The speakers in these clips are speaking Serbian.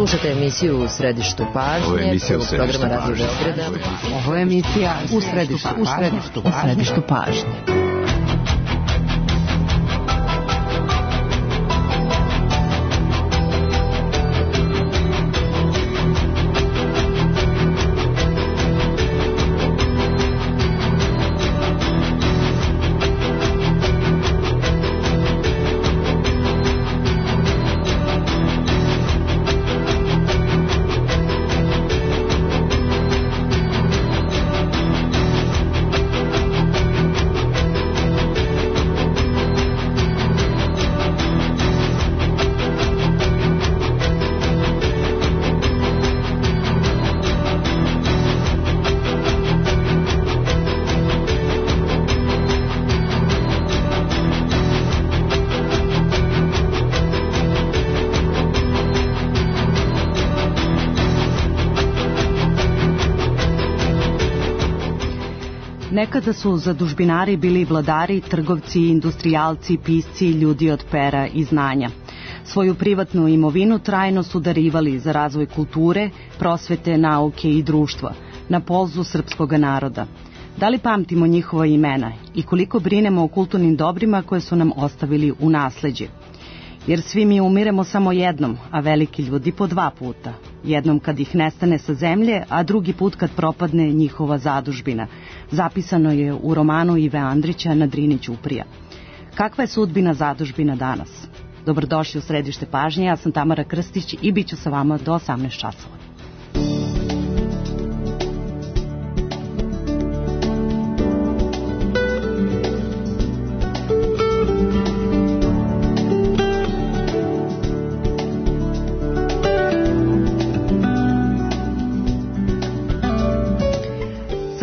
Slušate emisiju U središtu pažnje, programa Radio Beograda. Ovo je emisija U središtu pažnje. Nekada su zadužbinari bili vladari, trgovci, industrijalci, pisci, ljudi od pera i znanja. Svoju privatnu imovinu trajno su darivali za razvoj kulture, prosvete, nauke i društva, na polzu srpskog naroda. Da li pamtimo njihova imena i koliko brinemo o kulturnim dobrima koje su nam ostavili u nasleđe? Jer svi mi umiremo samo jednom, a veliki ljudi po 2 puta. Jednom kad ih nestane sa zemlje, a drugi put kad propadne njihova zadužbina. Zapisano je u romanu Ive Andrića Na Drini ćuprija. Kakva je sudbina zadužbina danas? Dobrodošli u središte pažnje, ja sam Tamara Krstić i bit ću sa vama do 18 časova.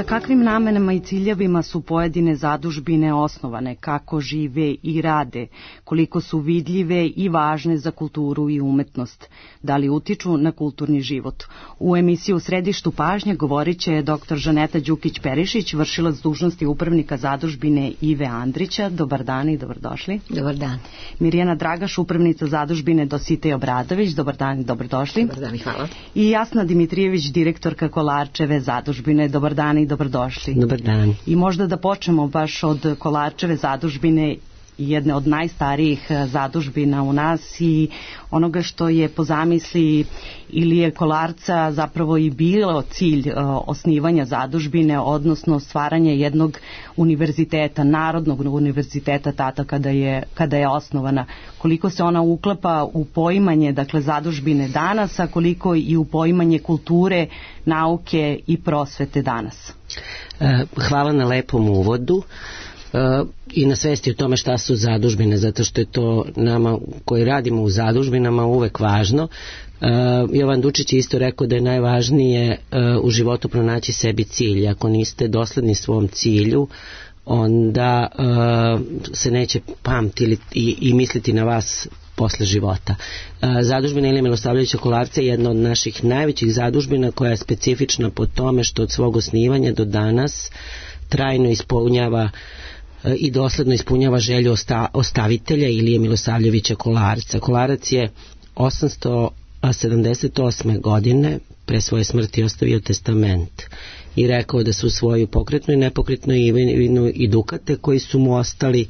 Kakvim namenama i ciljevima su pojedine zadužbine osnovane, kako žive i rade, koliko su vidljive i važne za kulturu i umetnost, da li utiču na kulturni život. U emisiju Središtu pažnje govorit će dr. Žaneta Đukić-Perišić, vršilac dužnosti upravnika zadužbine Ive Andrića. Dobar dan i dobrodošli. Dobar dan. Mirjana Dragaš, upravnica zadužbine Dositej Obradović. Dobar dan i dobrodošli. Dobar dan i hvala. I Jasna Dimitrijević, direktorka Kolarčeve zadužbine. Dobar dan i dobrodošli. Dobar dan. I možda da počnemo baš od Kolarčeve zadužbine, jedne od najstarijih zadužbina u nas i onoga što je po zamisli Ilije Kolarca zapravo i bilo cilj osnivanja zadužbine, odnosno stvaranje jednog univerziteta, narodnog univerziteta tada kada je osnovana. Koliko se ona uklapa u poimanje, dakle, zadužbine danas, a koliko i u poimanje kulture, nauke i prosvete danas? Hvala na lepom uvodu i na svesti o tome šta su zadužbine, zato što je to nama koji radimo u zadužbinama uvek važno. Jovan Dučić je isto rekao da je najvažnije u životu pronaći sebi cilj. Ako niste dosledni svom cilju, onda se neće pamtiti i misliti na vas posle života. Zadužbina Ilije Milosavljevića Kolarca je jedna od naših najvećih zadužbina koja je specifična po tome što od svog osnivanja do danas trajno ispunjava i dosledno ispunjava želju ostavitelja Ilije Milosavljevića Kolarca. Kolarac je 878. godine pre svoje smrti ostavio testament i rekao da su svoju pokretnu i nepokretnu imovinu i dukate koji su mu ostali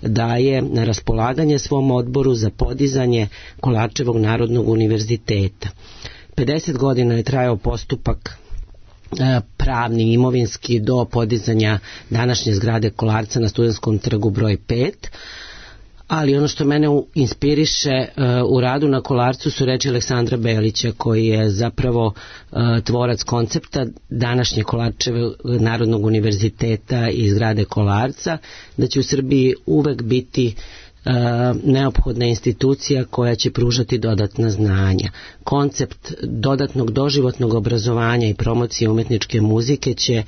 daje na raspolaganje svom odboru za podizanje Kolarčevog narodnog univerziteta. 50 godina je trajao postupak pravni, imovinski, do podizanja današnje zgrade Kolarca na Studentskom trgu broj 5. Ali ono što mene inspiriše u radu na Kolarcu su reči Aleksandra Belića, koji je zapravo tvorac koncepta današnje Kolarčevog narodnog univerziteta i zgrade Kolarca, da će u Srbiji uvek biti neophodna institucija koja će pružati dodatna znanja. Koncept dodatnog doživotnog obrazovanja i promocije umetničke muzike će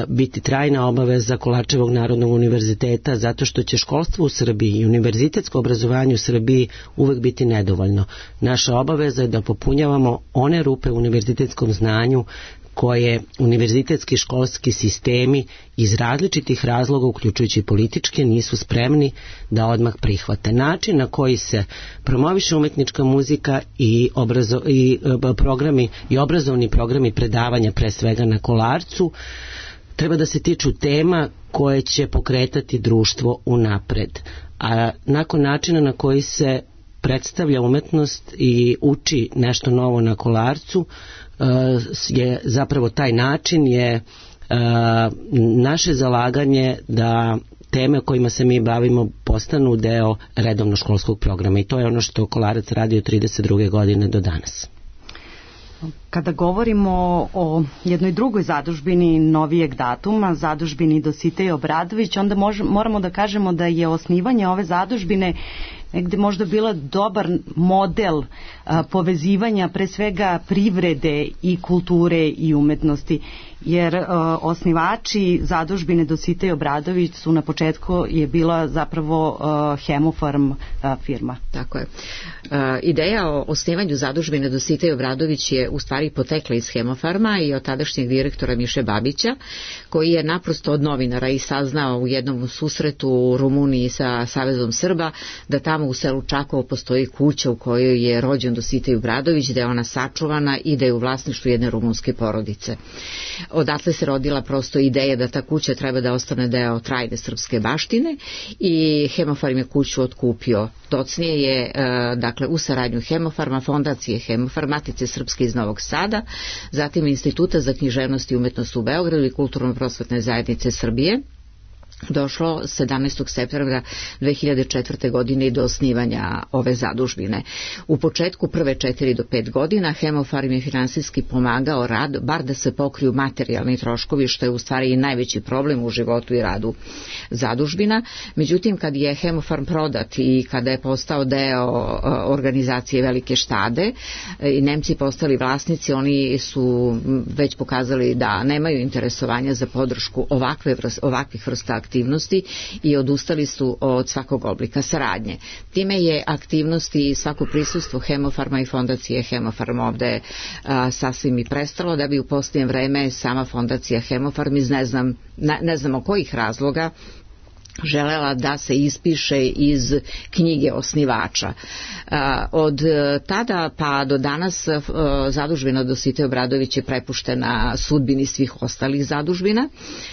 biti trajna obaveza Kolarčevog narodnog univerziteta, zato što će školstvo u Srbiji i univerzitetsko obrazovanje u Srbiji uvek biti nedovoljno. Naša obaveza je da popunjavamo one rupe u univerzitetskom znanju koje univerzitetski školski sistemi iz različitih razloga, uključujući političke, nisu spremni da odmah prihvate. Način na koji se promoviše umetnička muzika i obrazovni programi predavanja, pre svega na Kolarcu, treba da se tiču tema koje će pokretati društvo unapred. A nakon načina na koji se predstavlja umetnost i uči nešto novo na Kolarcu, je zapravo taj način je naše zalaganje da teme kojima se mi bavimo postanu deo redovno školskog programa, i to je ono što Kolarac radi od 32. godine do danas. Kada govorimo o jednoj drugoj zadužbini novijeg datuma, zadužbini Dositej Obradović, onda moramo da kažemo da je osnivanje ove zadužbine negde možda bila dobar model povezivanja pre svega privrede i kulture i umetnosti, jer osnivači zadužbine Dositej Obradović su na početku je bila zapravo Hemofarm firma. Tako je. Ideja o osnivanju zadužbine Dositej Obradović je u stvari potekla iz Hemofarma i od tadašnjeg direktora Miše Babića, koji je naprosto od novinara i saznao u jednom susretu u Rumuniji sa Savezom Srba da tamo u selu Čakovo postoji kuća u kojoj je rođen Dositej Obradović, da je ona sačuvana i da je u vlasništvu jedne rumunske porodice. Odatle se rodila prosto ideja da ta kuća treba da ostane deo trajne srpske baštine i Hemofarm je kuću otkupio. Docnije je, dakle, u saradnju Hemofarma, Fondacije Hemofarm, Matice Srpske iz Novog Sada, zatim Instituta za književnost i umetnost u Beogradu i Kulturno-prosvetne zajednice Srbije, došlo 17. septembra 2004. godine do osnivanja ove zadužbine. U početku prve 4 do 5 godina Hemofarm je finansijski pomagao rad, bar da se pokriju materijalni troškovi, što je u stvari i najveći problem u životu i radu zadužbina. Međutim, kad je Hemofarm prodat i kada je postao deo organizacije Velike štade i Nemci postali vlasnici, oni su već pokazali da nemaju interesovanja za podršku ovakvih vrsta aktivnosti i odustali su od svakog oblika saradnje. Time je aktivnosti i svako prisustvo Hemofarma i Fondacije Hemofarm ovde sasvim i prestalo, da bi u posljednje vreme sama Fondacija Hemofarm iz ne znamo kojih razloga želela da se ispiše iz knjige osnivača. Od tada pa do danas zadužbina Dositej Obradović je prepuštena sudbini svih ostalih zadužbina.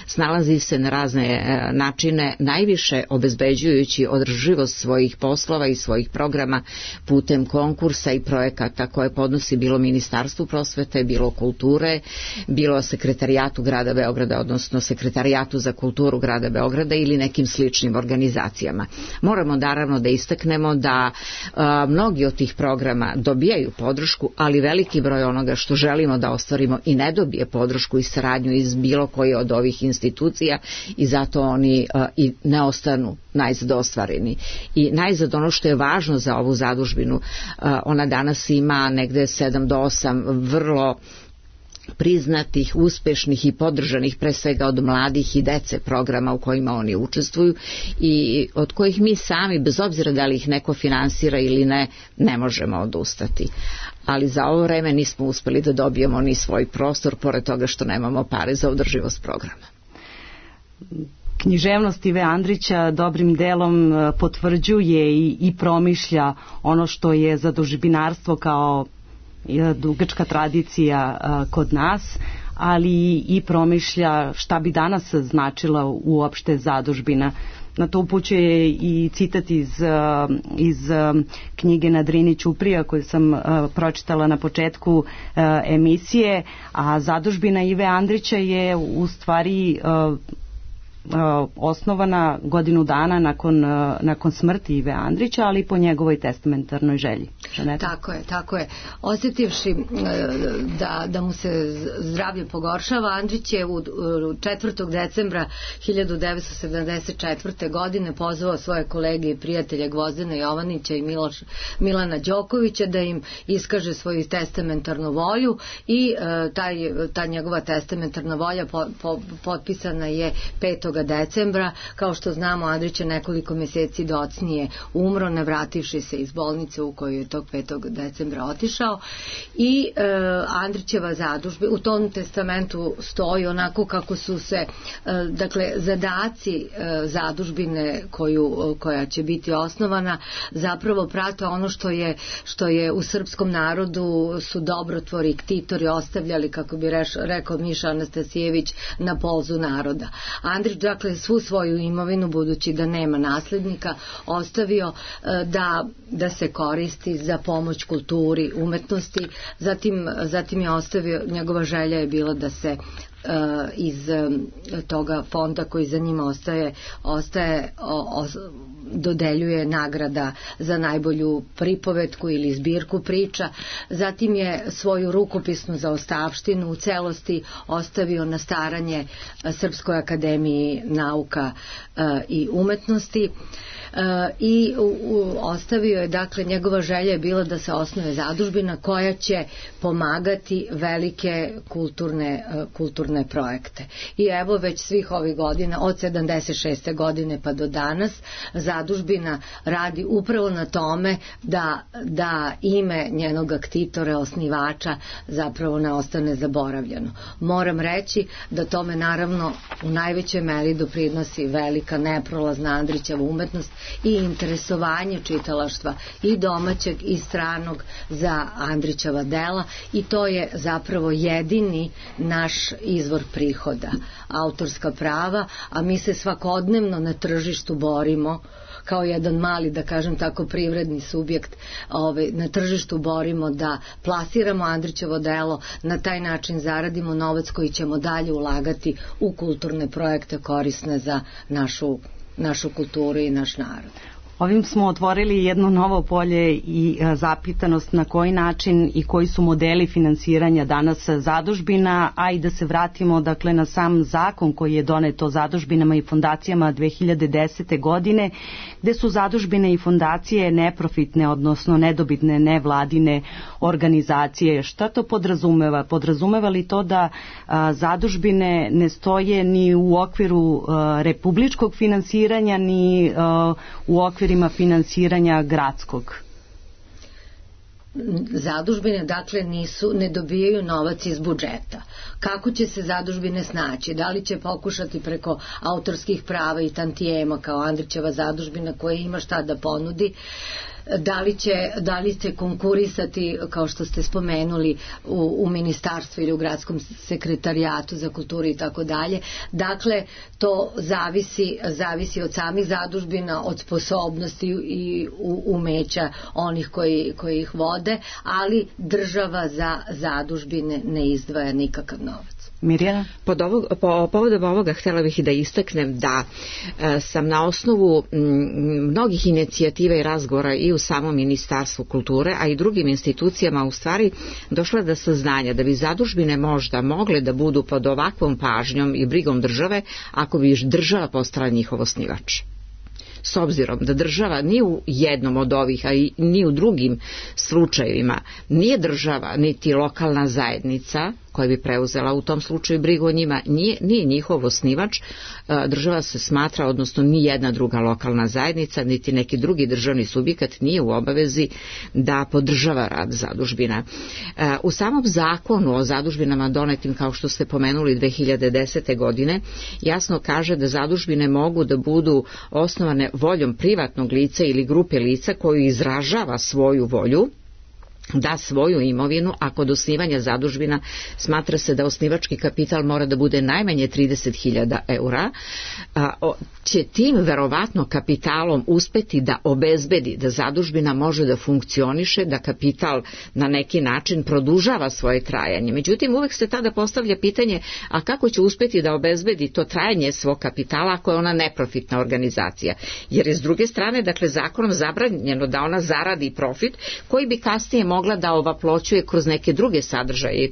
Snalazi se na razne načine, najviše obezbeđujući održivost svojih poslova i svojih programa putem konkursa i projekata koje podnosi bilo Ministarstvu prosvete, bilo kulture, bilo Sekretarijatu grada Beograda, odnosno Sekretarijatu za kulturu grada Beograda ili nekim sličnim organizacijama. Moramo naravno da istaknemo da mnogi od tih programa dobijaju podršku, ali veliki broj onoga što želimo da ostvarimo i ne dobije podršku i saradnju iz bilo koje od ovih institucija i zato oni i ne ostanu najzad ostvareni. I najzad ono što je važno za ovu zadužbinu, ona danas ima negde 7 do 8 vrlo priznatih, uspešnih i podržanih pre svega od mladih i dece programa u kojima oni učestvuju i od kojih mi sami, bez obzira da li ih neko finansira ili ne možemo odustati. Ali za ovo vreme nismo uspeli da dobijemo ni svoj prostor, pored toga što nemamo pare za održivost programa. Književnost Ive Andrića dobrim delom potvrđuje i promišlja ono što je zadužbinarstvo kao dugačka tradicija kod nas, ali i promišlja šta bi danas značila uopšte zadužbina. Na to upućuje i citat iz knjige Na Drini Ćuprija koju sam pročitala na početku emisije, a zadužbina Ive Andrića je u stvari osnovana godinu dana nakon smrti Ive Andrića, ali po njegovoj testamentarnoj želji. Žaneta? Tako je. Osjetivši da mu se zdravlje pogoršava, Andrić je 4. decembra 1974. godine pozvao svoje kolege i prijatelje Gvozdena Jovanića i Milana Đokovića da im iskaže svoju testamentarnu volju i ta njegova testamentarna volja potpisana je 5. decembra. Kao što znamo, Andrić je nekoliko mjeseci docnije umro, ne vrativši se iz bolnice u kojoj je to tog 5. decembra otišao i Andrićeva zadužbina, u tom testamentu stoji onako kako su se dakle zadaci zadužbine koja će biti osnovana zapravo prate ono što je u srpskom narodu su dobrotvori, ktitori ostavljali, kako bi rekao Miša Anastasijević, na polzu naroda. Andrić dakle svu svoju imovinu, budući da nema naslednika, ostavio da se koristi za pomoć kulturi, umetnosti, zatim je ostavio, njegova želja je bila da se iz toga fonda koji za njima ostaje dodeljuje nagrada za najbolju pripovetku ili zbirku priča. Zatim je svoju rukopisnu zaostavštinu u celosti ostavio na staranje Srpskoj akademiji nauka i umetnosti. I ostavio je, dakle, njegova želja je bila da se osnuje zadužbina koja će pomagati velike kulturne projekte. I evo već svih ovih godina, od 76. godine pa do danas, zadužbina radi upravo na tome da ime njenog ktitora, osnivača, zapravo ne ostane zaboravljeno. Moram reći da tome naravno u najvećoj meri doprinosi velika neprolazna Andrićeva umetnost i interesovanje čitalaštva i domaćeg i stranog za Andrićeva dela, i to je zapravo jedini naš izvor prihoda, autorska prava, a mi se svakodnevno na tržištu borimo kao jedan mali, da kažem tako, privredni subjekt, na tržištu borimo da plasiramo Andrićevo delo, na taj način zaradimo novac koji ćemo dalje ulagati u kulturne projekte korisne za našu kulturu i naš narod. Ovim smo otvorili jedno novo polje i zapitanost na koji način i koji su modeli finansiranja danas zadužbina, a i da se vratimo dakle na sam zakon koji je donet o zadužbinama i fondacijama 2010. godine, gde su zadužbine i fondacije neprofitne, odnosno nedobitne nevladine organizacije. Šta to podrazumeva? Podrazumeva li to da zadužbine ne stoje ni u okviru republičkog finansiranja, ni u okviru finansiranja gradskog? Zadužbine dakle ne dobijaju novac iz budžeta. Kako će se zadužbine snaći? Da li će pokušati preko autorskih prava i tantijema kao Andrićeva zadužbina koja ima šta da ponudi? Da li će konkurisati, kao što ste spomenuli, u ministarstvu ili u gradskom sekretarijatu za kulturu i tako dalje. Dakle, to zavisi od samih zadužbina, od sposobnosti i umeća onih koji ih vode, ali država za zadužbine ne izdvaja nikakav novac. Mirjana? Povodom ovoga htjela bih i da istaknem da sam na osnovu mnogih inicijativa i razgovora i u samom Ministarstvu kulture, a i drugim institucijama u stvari došla do saznanja da bi zadužbine možda mogle da budu pod ovakvom pažnjom i brigom države ako bi država postala njihov osnivač. S obzirom da država ni u jednom od ovih, a i ni u drugim slučajevima nije država niti lokalna zajednica koja bi preuzela u tom slučaju brigu o njima, nije njihov osnivač, država se smatra, odnosno ni jedna druga lokalna zajednica niti neki drugi državni subjekat nije u obavezi da podržava rad zadužbina. U samom zakonu o zadužbinama donetim, kao što ste pomenuli, 2010. godine jasno kaže da zadužbine mogu da budu osnovane voljom privatnog lica ili grupe lica koju izražava svoju volju da svoju imovinu, a kod osnivanja zadužbina smatra se da osnivački kapital mora da bude najmanje 30.000 eura, će tim verovatno kapitalom uspeti da obezbedi da zadužbina može da funkcioniše, da kapital na neki način produžava svoje trajanje. Međutim, uvek se tada postavlja pitanje, a kako će uspeti da obezbedi to trajanje svog kapitala ako je ona neprofitna organizacija? Jer je s druge strane, dakle, zakonom zabranjeno da ona zaradi profit koji bi kasnije mogla da ovaploćuje kroz neke druge sadržaje i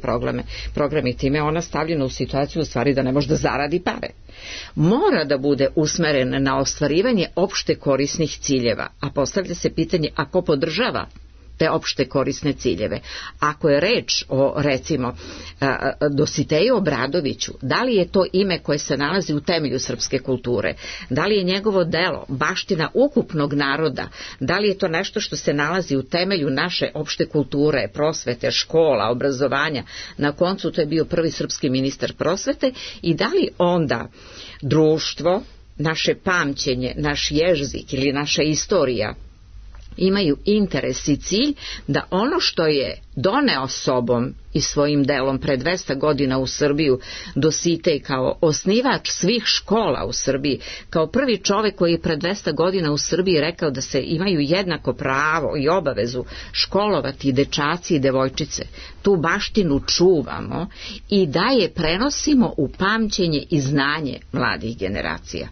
programe. Time ona stavljena u situaciju u stvari da ne može da zaradi pare. Mora da bude usmeren na ostvarivanje opšte korisnih ciljeva, a postavlja se pitanje, a ko podržava te opšte korisne ciljeve. Ako je reč o, recimo, Dositeju Obradoviću, da li je to ime koje se nalazi u temelju srpske kulture, da li je njegovo delo baština ukupnog naroda, da li je to nešto što se nalazi u temelju naše opšte kulture, prosvete, škola, obrazovanja, na koncu to je bio prvi srpski ministar prosvete, i da li onda društvo, naše pamćenje, naš jezik ili naša istorija imaju interes i cilj da ono što je doneo sobom i svojim delom pre 200 godina u Srbiju Dositej kao osnivač svih škola u Srbiji, kao prvi čovek koji je pre 200 godina u Srbiji rekao da se imaju jednako pravo i obavezu školovati dečaci i devojčice. Tu baštinu čuvamo i da je prenosimo u pamćenje i znanje mladih generacija.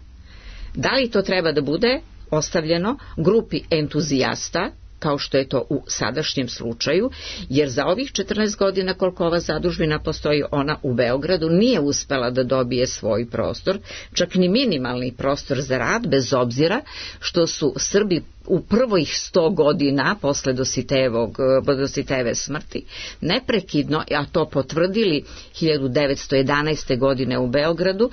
Da li to treba da bude ostavljeno grupi entuzijasta, kao što je to u sadašnjem slučaju, jer za ovih 14 godina koliko ova zadužbina postoji, ona u Beogradu nije uspela da dobije svoj prostor, čak ni minimalni prostor za rad, bez obzira što su Srbi u prvih 100 godina posle Dositejeve smrti neprekidno, a to potvrdili 1911. godine u Beogradu,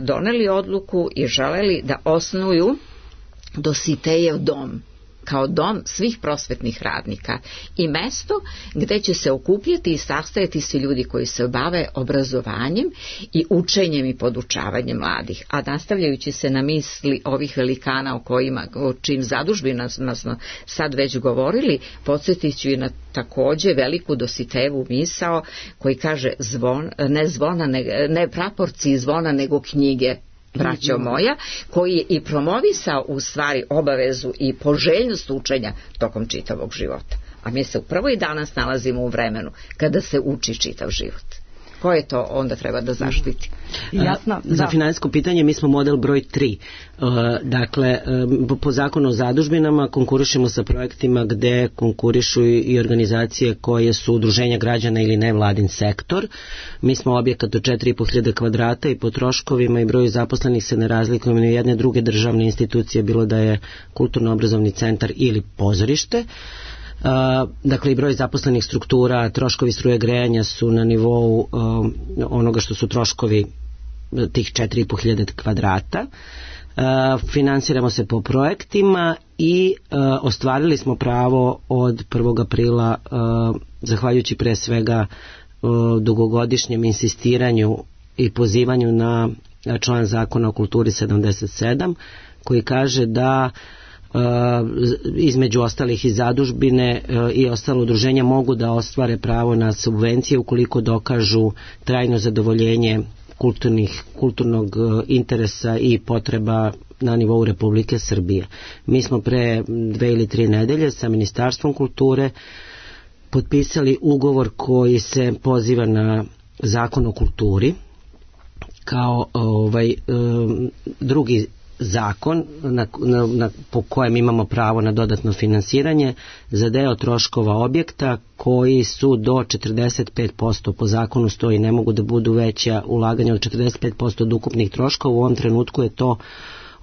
doneli odluku i želeli da osnuju Dositejev dom, kao dom svih prosvetnih radnika i mesto gde će se okupljati i sastajati svi ljudi koji se bave obrazovanjem i učenjem i podučavanjem mladih. A nastavljajući se na misli ovih velikana o čim zadužbinama smo sad već govorili, podsjetit ću i na takođe veliku Dositejevu misao koji kaže ne praporci zvona nego knjige, braćo moja, koji je i promovisao u stvari obavezu i poželjnost učenja tokom čitavog života. A mi se upravo i danas nalazimo u vremenu kada se uči čitav život. Koje to onda treba da zaštiti? Za finansijsko pitanje mi smo model broj 3. Dakle, po zakonu o zadužbinama konkurišemo sa projektima gde konkurišu i organizacije koje su udruženja građana ili nevladin sektor. Mi smo objekat od 4.500 kvadrata i po troškovima i broju zaposlenih se ne razlikujemo ni jedne druge državne institucije, bilo da je kulturno-obrazovni centar ili pozorište. Dakle, i broj zaposlenih struktura, troškovi struje grejanja su na nivou onoga što su troškovi tih 4.500 kvadrata. Finansiramo se po projektima i ostvarili smo pravo od 1. aprila, zahvaljujući pre svega dugogodišnjem insistiranju i pozivanju na član zakona o kulturi 77, koji kaže da između ostalih i zadužbine i ostalo udruženja mogu da ostvare pravo na subvencije ukoliko dokažu trajno zadovoljenje kulturnog interesa i potreba na nivou Republike Srbije. Mi smo pre 2 ili 3 nedelje sa Ministarstvom kulture potpisali ugovor koji se poziva na Zakon o kulturi kao drugi zakon po kojem imamo pravo na dodatno finansiranje za deo troškova objekta koji su do 45%, po zakonu stoji, ne mogu da budu veća ulaganja od 45% od ukupnih troškova. U ovom trenutku je to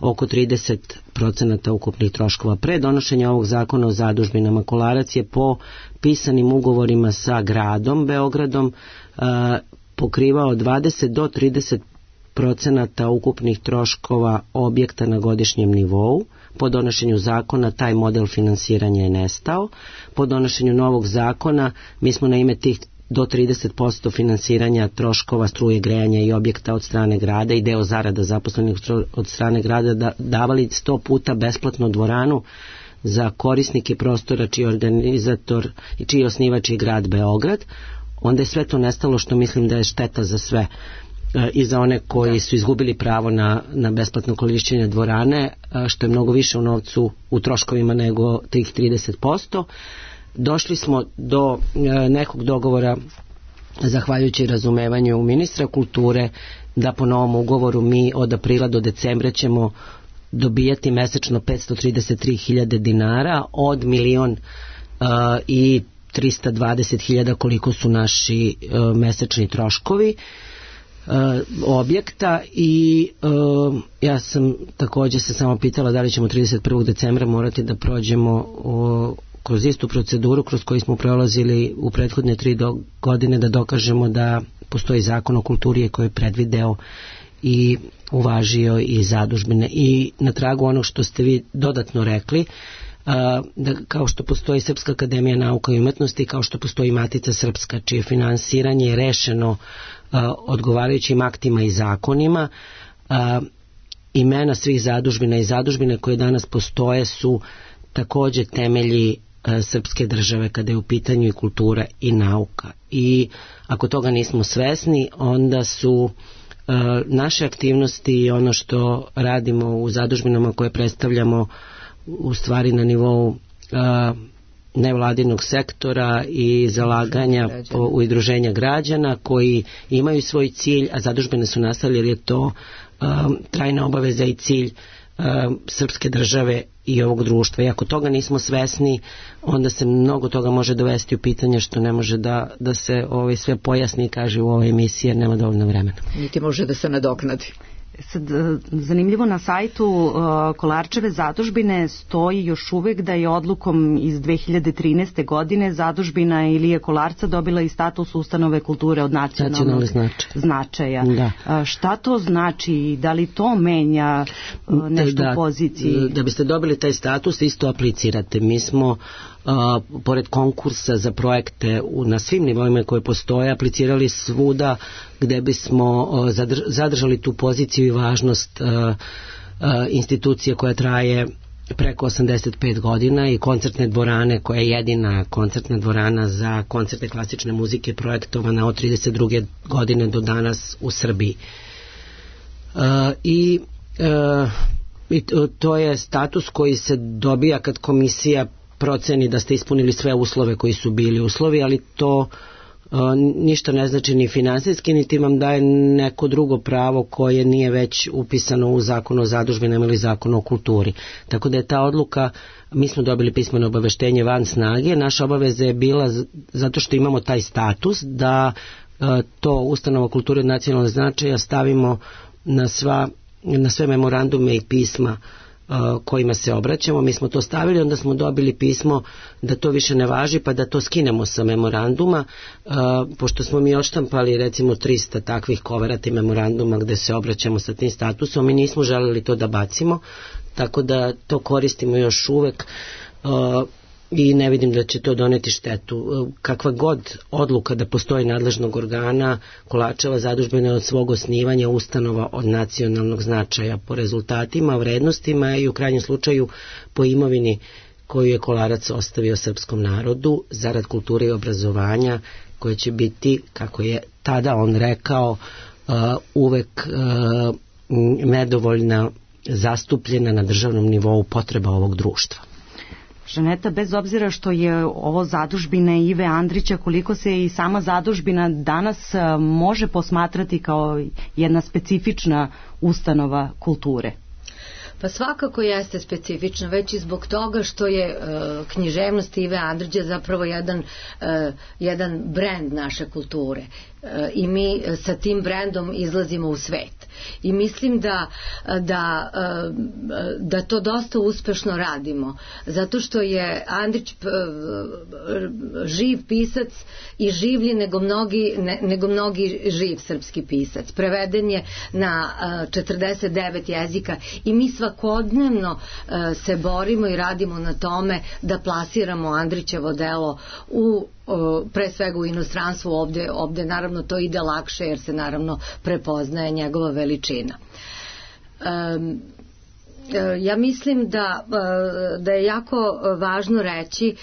oko 30% ukupnih troškova. Pre donošenja ovog zakona o zadužbinama Kolarac je po pisanim ugovorima sa gradom Beogradom pokrivao 20 do 30% ukupnih troškova objekta na godišnjem nivou. Po donošenju zakona taj model finansiranja je nestao. Po donošenju novog zakona mi smo na ime tih do 30% finansiranja troškova struje grejanja i objekta od strane grada i deo zarada zaposlenih od strane grada davali 100 puta besplatno dvoranu za korisnike prostora čiji organizator i čiji osnivač je grad Beograd. Onda je sve to nestalo, što mislim da je šteta za sve, i za one koji su izgubili pravo na besplatno korišćenje dvorane, što je mnogo više u novcu, u troškovima nego tih 30%. Došli smo do nekog dogovora, zahvaljujući razumevanju ministra kulture, da po novom ugovoru mi od aprila do decembra ćemo dobijati mesečno 533.000 dinara od 1.320.000 koliko su naši mesečni troškovi objekta. I ja sam također se samo pitala da li ćemo 31. decembra morati da prođemo kroz istu proceduru kroz koju smo prolazili u prethodne 3 godine da dokažemo da postoji zakon o kulturi koji je predvideo i uvažio i zadužbine. I na tragu onog što ste vi dodatno rekli, da kao što postoji Srpska akademija nauka i umetnosti, kao što postoji Matica Srpska, čije finansiranje je rešeno odgovarajućim aktima i zakonima, imena svih zadužbina i zadužbine koje danas postoje su takođe temelji srpske države kada je u pitanju i kultura i nauka. I ako toga nismo svesni, onda su naše aktivnosti i ono što radimo u zadužbinama koje predstavljamo u stvari na nivou nevladinog sektora i zalaganja u udruženja građana koji imaju svoj cilj, a zadužbine su nastale jer je to trajna obaveza i cilj srpske države i ovog društva. I ako toga nismo svesni, onda se mnogo toga može dovesti u pitanje što ne može da se sve pojasni i kaže u ovoj emisiji jer nema dovoljno vremena. Niti može da se nadoknadi. Sad, zanimljivo, na sajtu Kolarčeve zadužbine stoji još uvek da je odlukom iz 2013. godine zadužbina Ilije Kolarca dobila i status ustanove kulture od nacionalnog značaja. Da. Šta to znači? Da li to menja nešto u poziciji? Da biste dobili taj status isto aplicirate. Mi smo pored konkursa za projekte na svim nivoima koje postoje aplicirali svuda gde bismo zadržali tu poziciju i važnost institucije koja traje preko 85 godina i koncertne dvorane koja je jedina koncertna dvorana za koncerte klasične muzike projektovana od 32. godine do danas u Srbiji. I to je status koji se dobija kad komisija proceni da ste ispunili sve uslove koji su bili uslovi, ali to ništa ne znači ni finansijski, niti vam daje neko drugo pravo koje nije već upisano u zakonu o zadužbinama ili zakonu o kulturi. Tako da je ta odluka, mi smo dobili pismeno obaveštenje van snage, naša obaveza je bila zato što imamo taj status da to ustanova kulture od nacionalnog značaja stavimo na sve memorandume i pisma kojima se obraćamo. Mi smo to stavili, onda smo dobili pismo da to više ne važi pa da to skinemo sa memoranduma, pošto smo mi odštampali recimo 300 takvih koverata i memoranduma gde se obraćamo sa tim statusom, mi nismo želeli to da bacimo, tako da to koristimo još uvek i ne vidim da će to doneti štetu. Kakva god odluka da postoji nadležnog organa, Kolarčeva zadužbina je od svog osnivanja ustanova od nacionalnog značaja po rezultatima, vrednostima i u krajnjem slučaju po imovini koju je Kolarac ostavio srpskom narodu zarad kulture i obrazovanja, koje će biti, kako je tada on rekao, uvek nedovoljna zastupljena na državnom nivou potreba ovog društva. Žaneta, bez obzira što je ovo zadužbina Ive Andrića, koliko se i sama zadužbina danas može posmatrati kao jedna specifična ustanova kulture? Pa svakako jeste specifično, već i zbog toga što je književnost Ive Andrića zapravo jedan brend naše kulture i mi sa tim brendom izlazimo u svet. I mislim da to dosta uspešno radimo, zato što je Andrić živ pisac i življi nego mnogi živ srpski pisac. Preveden je na 49 jezika i mi svakodnevno se borimo i radimo na tome da plasiramo Andrićevo delo pre svega u inostranstvu. Ovde naravno to ide lakše jer se naravno prepoznaje njegova veličina. Ja mislim da je jako važno reći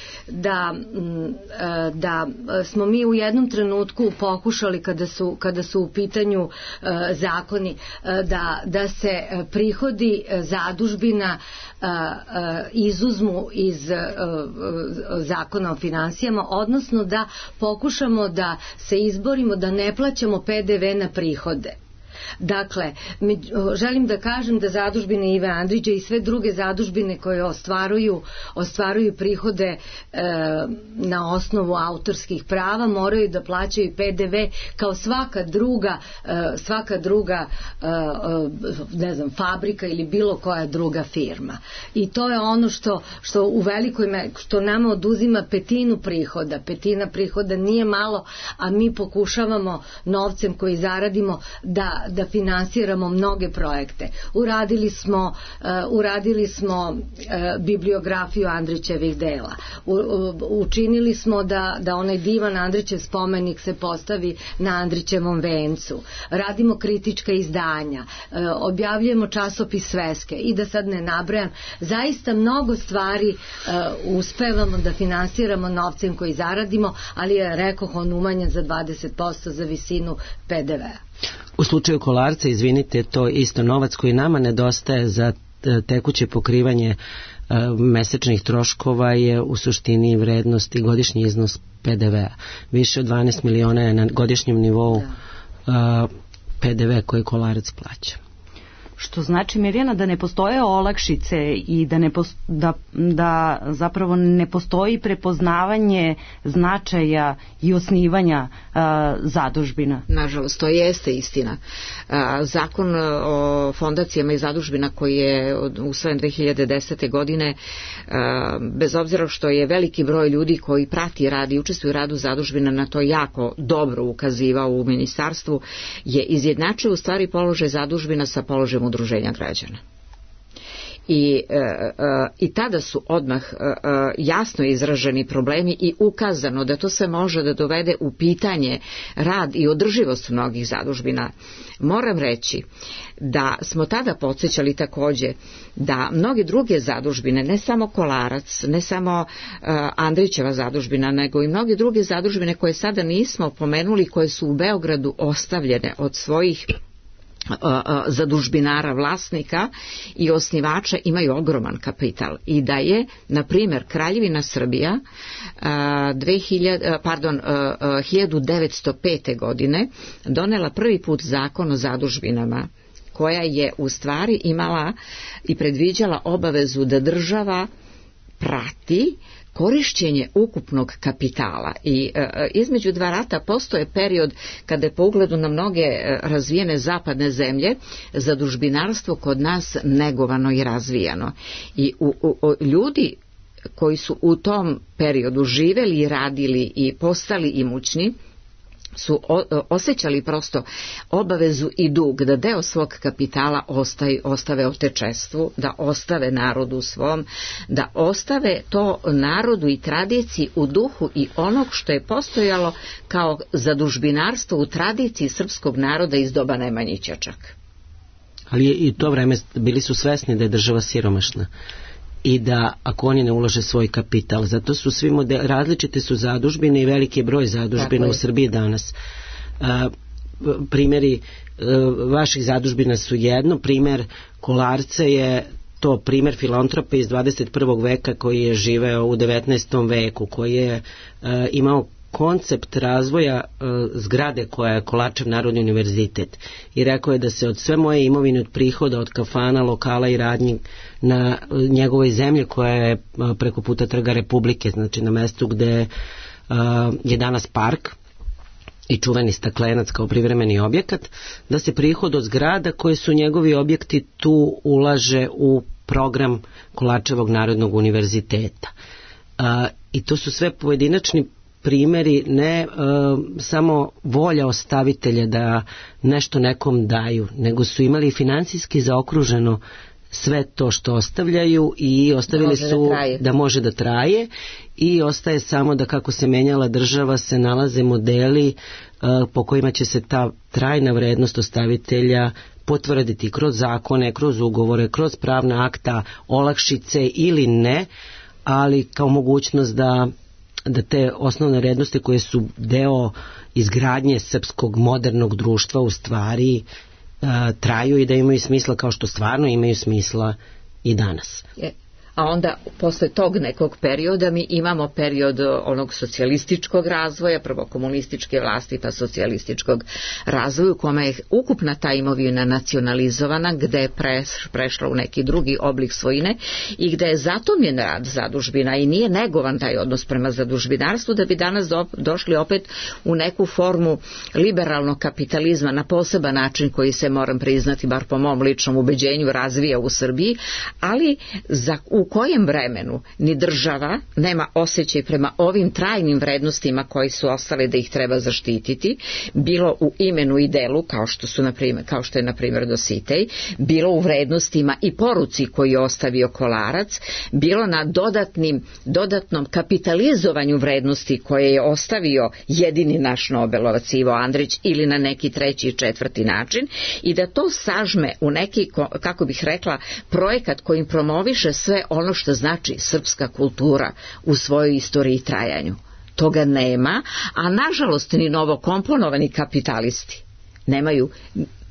da smo mi u jednom trenutku pokušali kada su u pitanju zakoni da se prihodi zadužbina izuzmu iz zakona o finansijama, odnosno da pokušamo da se izborimo da ne plaćamo PDV na prihode. Dakle, želim da kažem da zadužbine Ive Andrića i sve druge zadužbine koje ostvaruju prihode na osnovu autorskih prava moraju da plaćaju PDV kao svaka druga ne znam, fabrika ili bilo koja druga firma. I to je ono što u velikoj što nama oduzima petina prihoda nije malo, a mi pokušavamo novcem koji zaradimo da finansiramo mnoge projekte. Uradili smo bibliografiju Andrićevih dela. Učinili smo da onaj divan Andrićev spomenik se postavi na Andrićevom vencu. Radimo kritička izdanja. Objavljujemo časopis Sveske i da sad ne nabrajam. Zaista mnogo stvari uspevamo da finansiramo novcem koji zaradimo, ali je, rekoh, on umanjen za 20% za visinu PDV-a. U slučaju Kolarca, izvinite, to isto novac koji nama nedostaje za tekuće pokrivanje mesečnih troškova je u suštini vrednost i godišnji iznos PDV-a. Više od 12 miliona je na godišnjem nivou PDV koji Kolarac plaća. Što znači, Mirjana, da ne postoje olakšice i da zapravo ne postoji prepoznavanje značaja i osnivanja zadužbina. Nažalost, to jeste istina. Zakon o fondacijama i zadužbina koji je usvojen 2010. godine, bez obzira što je veliki broj ljudi koji prati rad i učestvuju u radu zadužbina na to jako dobro ukazivao u ministarstvu, je izjednačio u stvari položaj zadužbina sa položajem udruženja građana. I tada su odmah jasno izraženi problemi i ukazano da to se može da dovede u pitanje rad i održivost mnogih zadužbina. Moram reći da smo tada podsjećali takođe da mnoge druge zadužbine, ne samo Kolarac, ne samo Andrićeva zadužbina, nego i mnoge druge zadužbine koje sada nismo pomenuli, koje su u Beogradu ostavljene od svojih zadužbinara, vlasnika i osnivača, imaju ogroman kapital i da je, na primjer, Kraljevina Srbija 1905. godine donela prvi put zakon o zadužbinama, koja je u stvari imala i predviđala obavezu da država prati korišćenje ukupnog kapitala i između dva rata postoje period kada je po ugledu na mnoge razvijene zapadne zemlje zadužbinarstvo kod nas negovano i razvijano i ljudi koji su u tom periodu živeli i radili i postali imućni su osjećali prosto obavezu i dug da deo svog kapitala ostave otečestvu, da ostave narodu svom, da ostave to narodu i tradiciji u duhu i onog što je postojalo kao zadužbinarstvo u tradiciji srpskog naroda iz doba Nemanjića čak. Ali i to vreme bili su svesni da je država siromašna i da ako oni ne ulože svoj kapital, zato su svi različite su zadužbine i veliki broj zadužbina u Srbiji danas. Primjeri vaših zadužbina su jedno, primjer Kolarca je to primjer filantropa iz 21. veka koji je živeo u 19. veku, koji je imao koncept razvoja zgrade koja je Kolarčev Narodni univerzitet i rekao je da se od sve moje imovine, od prihoda, od kafana, lokala i radnji na njegovoj zemlji koja je preko puta Trga Republike, znači na mestu gde je danas park i čuveni Staklenac kao privremeni objekat, da se prihod od zgrada koje su njegovi objekti tu ulaže u program Kolarčevog Narodnog univerziteta. I to su sve pojedinačni primjeri, ne samo volja ostavitelja da nešto nekom daju, nego su imali finansijski zaokruženo sve to što ostavljaju i ostavili su da može da traje i ostaje samo da kako se menjala država se nalaze modeli po kojima će se ta trajna vrednost ostavitelja potvrditi kroz zakone, kroz ugovore, kroz pravna akta, olakšice ili ne, ali kao mogućnost da te osnovne vrednosti koje su deo izgradnje srpskog modernog društva u stvari traju i da imaju smisla kao što stvarno imaju smisla i danas. a onda posle tog nekog perioda mi imamo period onog socijalističkog razvoja, prvo komunističke vlasti pa socijalističkog razvoja u kome je ukupna ta imovina nacionalizovana, gde je prešla u neki drugi oblik svojine i gde je zatomljen rad zadužbina i nije negovan taj odnos prema zadužbinarstvu, da bi danas došli opet u neku formu liberalnog kapitalizma na poseban način koji se, moram priznati, bar po mom ličnom ubeđenju, razvija u Srbiji, ali u kojem vremenu ni država nema osjećaj prema ovim trajnim vrednostima koji su ostale da ih treba zaštititi, bilo u imenu i delu, kao što je na primjer Dositej, bilo u vrednostima i poruci koju je ostavio Kolarac, bilo na dodatnom kapitalizovanju vrednosti koje je ostavio jedini naš Nobelovac Ivo Andrić ili na neki treći i četvrti način, i da to sažme u neki, kako bih rekla, projekat kojim promoviše sve ono što znači srpska kultura u svojoj istoriji i trajanju. Toga nema, a nažalost ni novokomponovani kapitalisti nemaju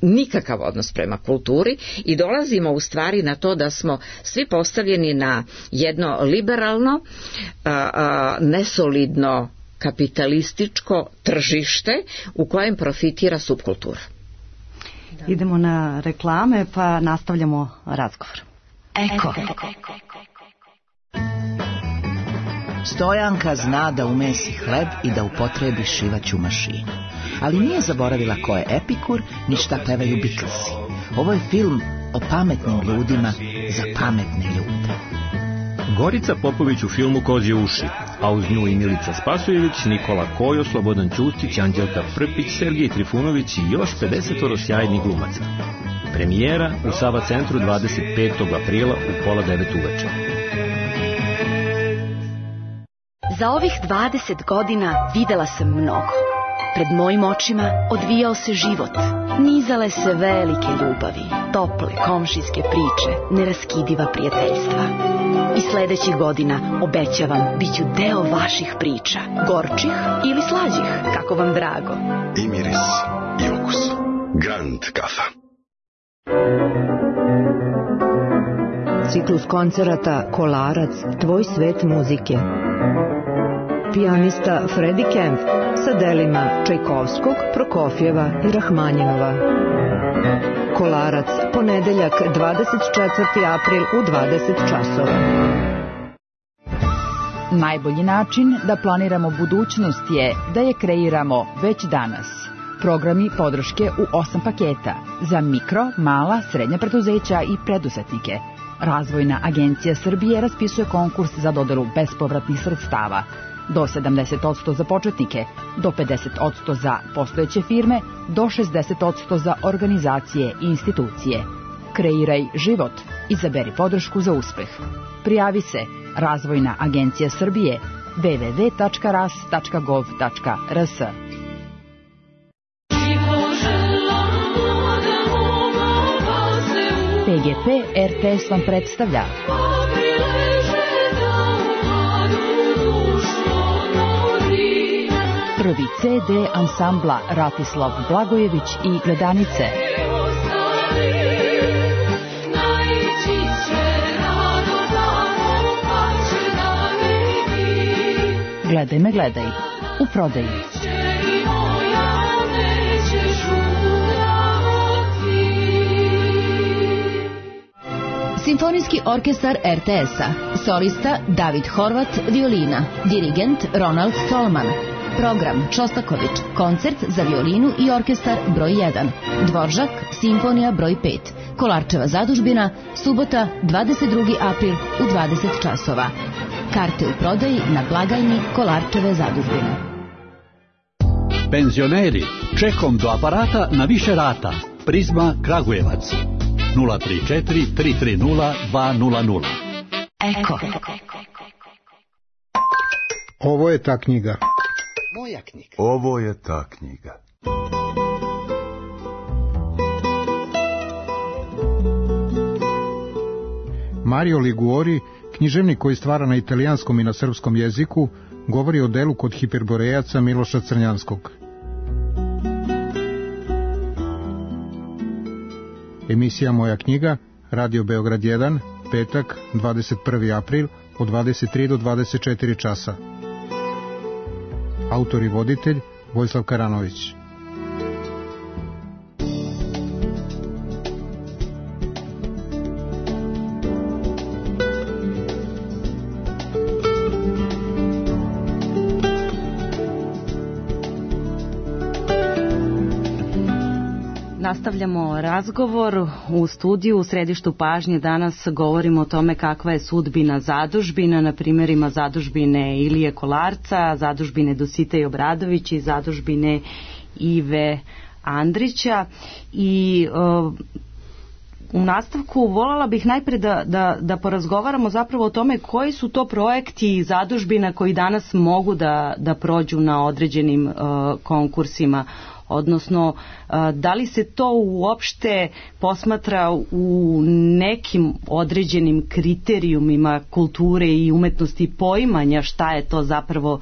nikakav odnos prema kulturi i dolazimo u stvari na to da smo svi postavljeni na jedno liberalno, nesolidno kapitalističko tržište u kojem profitira subkultura. Idemo na reklame pa nastavljamo razgovor. Eko. Stojanka zna da umesi hleb i da upotrebi šivaću mašinu. Ali nije zaboravila ko je Epikur, ni šta pevaju Beatlesi. Ovo je film o pametnim ljudima za pametne ljude. Gorica Popović u filmu Kozje uši, a uz nju i Milica Spasojević, Nikola Kojo, Slobodan Ćustić, Anđelka Prpić, Sergij Trifunović i još 50 sjajnih glumaca. Premijera u Sava centru 25. aprila u 8:30 uveče. Za ovih 20 godina videla sam mnogo. Pred mojim očima odvijao se život. Nizale se velike ljubavi, tople komšijske priče, neraskidiva prijateljstva. I sledećih godina, obećavam, bit ću deo vaših priča, gorčih ili slađih, kako vam drago. I miris, i okus. Grand kafa. Ciklus koncerata Kolarac, tvoj svet muzike. Pijanista Freddie Kemp sa delima Čajkovskog, Prokofjeva i Rahmanjinova. Kolarac, ponedeljak 24. april u 20 časova. Najbolji način da planiramo budućnost je da je kreiramo već danas. Programi podrške u 8 paketa za mikro, mala, srednja preduzeća i preduzetnike. Razvojna agencija Srbije raspisuje konkurs za dodelu bespovratnih sredstava. Do 70% za početnike, do 50% za postojeće firme, do 60% za organizacije i institucije. Kreiraj život. Izaberi podršku za uspeh. Prijavi se Razvojna agencija Srbije www.ras.gov.rs. PGP RTS vam predstavlja prvi CD ansambla Ratislav Blagojević i Gledanice. Gledaj me, gledaj. U prodaji. Simfonijski orkestar RTS-a. Solista David Horvat, violina. Dirigent Ronald Stolman. Program Čostaković, koncert za violinu i orkestar broj 1. Dvoržak, simfonija broj 5. Kolarčeva zadužbina, subota 22. april u 20 časova. Karte u prodaji na blagajni Kolarčeve zadužbine. Penzioneri, čekom do aparata na više rata. Prizma Kragujevac. 034 330 200. Eko. Ovo je ta knjiga. Moja knjiga. Ovo je ta knjiga. Mario Liguori, književnik koji stvara na italijanskom i na srpskom jeziku, govori o delu kod hiperborejaca Miloša Crnjanskog. Emisija Moja knjiga, Radio Beograd 1, petak, 21. april, od 23 do 24 časa. Autor i voditelj Vojislav Karanović. Nastavljamo razgovor u studiju. U središtu pažnje danas govorimo o tome kakva je sudbina zadužbina, na primjerima zadužbine Ilije Kolarca, zadužbine Dositej Obradović i zadužbine Ive Andrića. I u nastavku voljela bih najprije da porazgovaramo zapravo o tome koji su to projekti zadužbina koji danas mogu da prođu na određenim konkursima, odnosno da li se to uopšte posmatra u nekim određenim kriterijumima kulture i umetnosti poimanja šta je to zapravo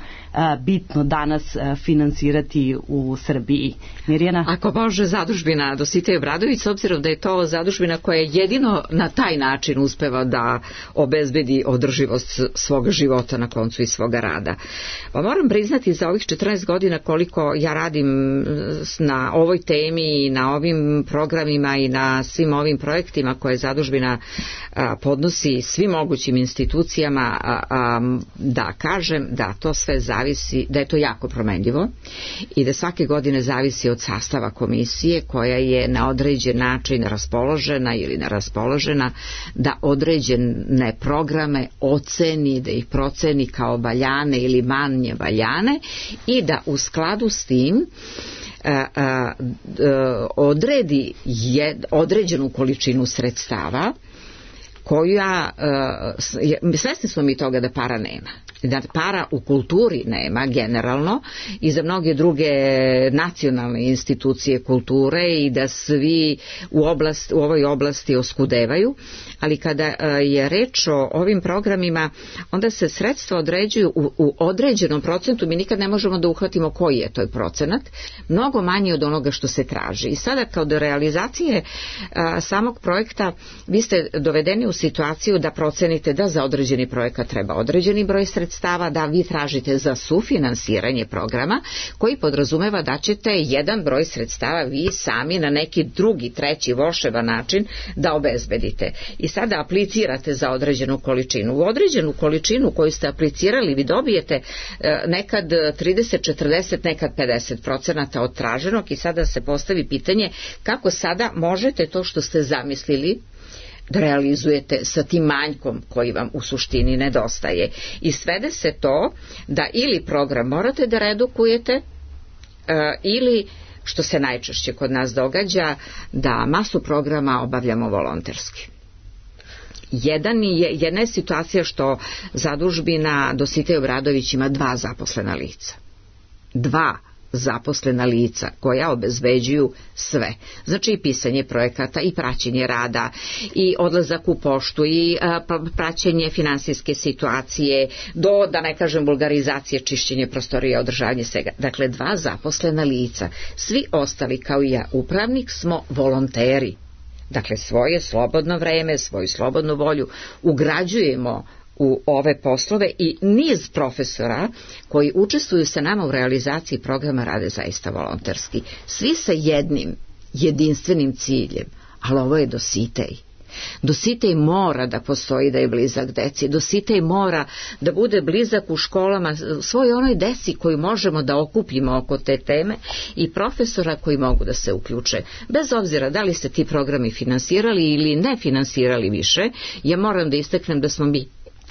bitno danas finansirati u Srbiji. Mirjana? Ako može zadužbina Dositej Obradović, s obzirom da je to zadužbina koja jedino na taj način uspeva da obezbedi održivost svog života na koncu i svoga rada. Pa moram priznati za ovih 14 godina koliko ja radim na ovoj temi i na ovim programima i na svim ovim projektima koje zadužbina podnosi svim mogućim institucijama, da kažem da to sve zavisi, da je to jako promenljivo i da svake godine zavisi od sastava komisije koja je na određen način raspoložena ili neraspoložena da određene programe oceni, da ih proceni kao valjane ili manje valjane i da u skladu s tim odredi određenu količinu sredstava koja, svesni smo mi toga da para nema, da para u kulturi nema generalno i za mnoge druge nacionalne institucije kulture i da svi u ovoj oblasti oskudevaju, ali kada je reč o ovim programima onda se sredstva određuju u određenom procentu, mi nikad ne možemo da uhvatimo koji je to procenat, mnogo manje od onoga što se traži. I sada kao do realizacije samog projekta vi ste dovedeni u situaciju da procenite da za određeni projekat treba određeni broj sredstava, da vi tražite za sufinansiranje programa koji podrazumeva da ćete jedan broj sredstava vi sami na neki drugi, treći volševan način da obezbedite. I sada aplicirate za određenu količinu. U određenu količinu koju ste aplicirali vi dobijete nekad 30, 40, nekad 50% od traženog i sada se postavi pitanje kako sada možete to što ste zamislili da realizujete sa tim manjkom koji vam u suštini nedostaje. I svede se to da ili program morate da redukujete ili, što se najčešće kod nas događa, da masu programa obavljamo volonterski. Jedna je situacija što zadužbina Dositej Obradović ima 2 zaposlena lica. 2 zaposlena lica koja obezbeđuju sve. Znači i pisanje projekata i praćenje rada i odlazak u poštu i praćenje finansijske situacije do, da ne kažem, vulgarizacije, čišćenje prostorija, održavanje svega. Dakle, 2 zaposlena lica. Svi ostali kao i ja, upravnik, smo volonteri. Dakle, svoje slobodno vreme, svoju slobodnu volju ugrađujemo u ove poslove i niz profesora koji učestvuju sa nama u realizaciji programa rade zaista volonterski. Svi sa jednim jedinstvenim ciljem, ali ovo je Dositej. Dositej mora da postoji, da je blizak deci. Dositej mora da bude blizak u školama svoj onoj deci koju možemo da okupimo oko te teme i profesora koji mogu da se uključe. Bez obzira da li se ti programi finansirali ili ne finansirali više, ja moram da istaknem da smo mi